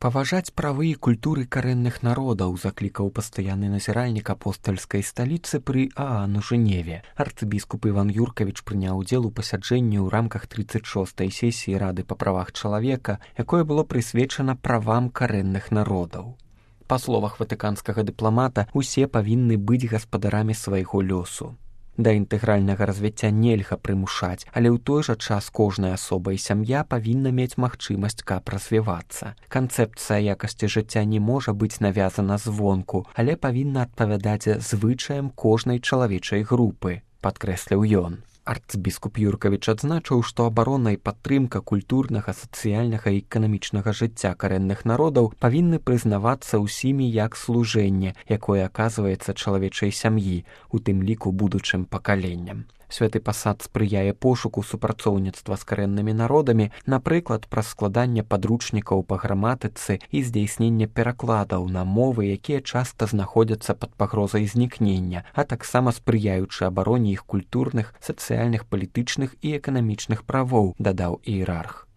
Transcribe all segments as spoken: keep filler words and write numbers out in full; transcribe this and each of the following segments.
Паважаць правы і культуры карэнных народаў заклікаў пастаянны назіральнік апостальскай сталіцы пры ААН у Жэневе. Арцыбіскуп Іван Юркавіч прыняў удзел у пасяджэнні ў рамках трыццаць шостай сесіі Рады па правах чалавека, якое было прысвечана правам карэнных народаў. Па словах ватыканскага дыпламата, усе павінны быць гаспадарамі свайго лёсу. Да інтэгральнага развіцця нельга прымушаць, але ў той жа час кожная асоба і сям'я павінна мець магчымасць, каб развівацца. Канцэпцыя якасці жыцця не можа быць навязана звонку, але павінна адпавядаць звычаям кожнай чалавечай групы, падкрэсліў ён. Арцбіскуп Юркавіч адзначыў, што абарона і падтрымка культурнага, сацыяльнага і эканамічнага жыцця карэнных народаў павінны прызнавацца ўсімі як служэнне, якое аказваецца чалавечай сям'і, у тым ліку будучым пакаленням. Святы пасад спрыяе пошуку супрацоўніцтва з карэннымі народамі, напрыклад, праз складанне падручнікаў па граматыцы і здзяйснення перакладаў на мовы, якія часта знаходзяцца пад пагрозай знікнення, а таксама спрыяючы абароне іх культурных, сацыяльных, палітычных і эканамічных правоў, дадаў іерарх.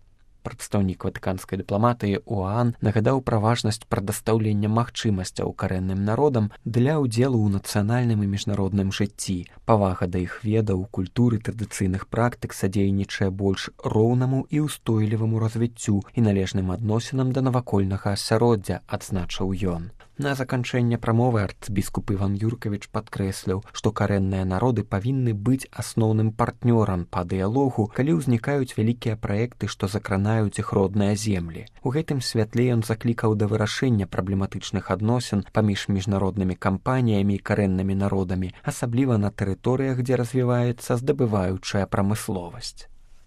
Прадстаўнік ватыканскай дыпламатыі ОАН нагадаў пра важнасць прадастаўлення магчымасцяў карэнным народам для ўдзелу ў нацыянальным і міжнародным жыцці. Павага да іх ведаў, культуры, традыцыйных практык садзейнічае больш роўнаму і ўстойліваму развіццю і належным адносінам да навакольнага асяроддзя, адзначыў ён. На заканчэнне прамовы арцбіскуп Іван Юркавіч падкрэсліў, што карэнныя народы павінны быць асноўным партнёрам па дыялогу, калі ўзнікаюць вялікія праекты, што закранаюць іх родныя землі. У гэтым святле ён заклікаў да вырашэння праблематычных адносін паміж міжнароднымі кампаніямі і карэннымі народамі, асабліва на тэрыторыях, дзе развіваецца здабываючая прамысловасць.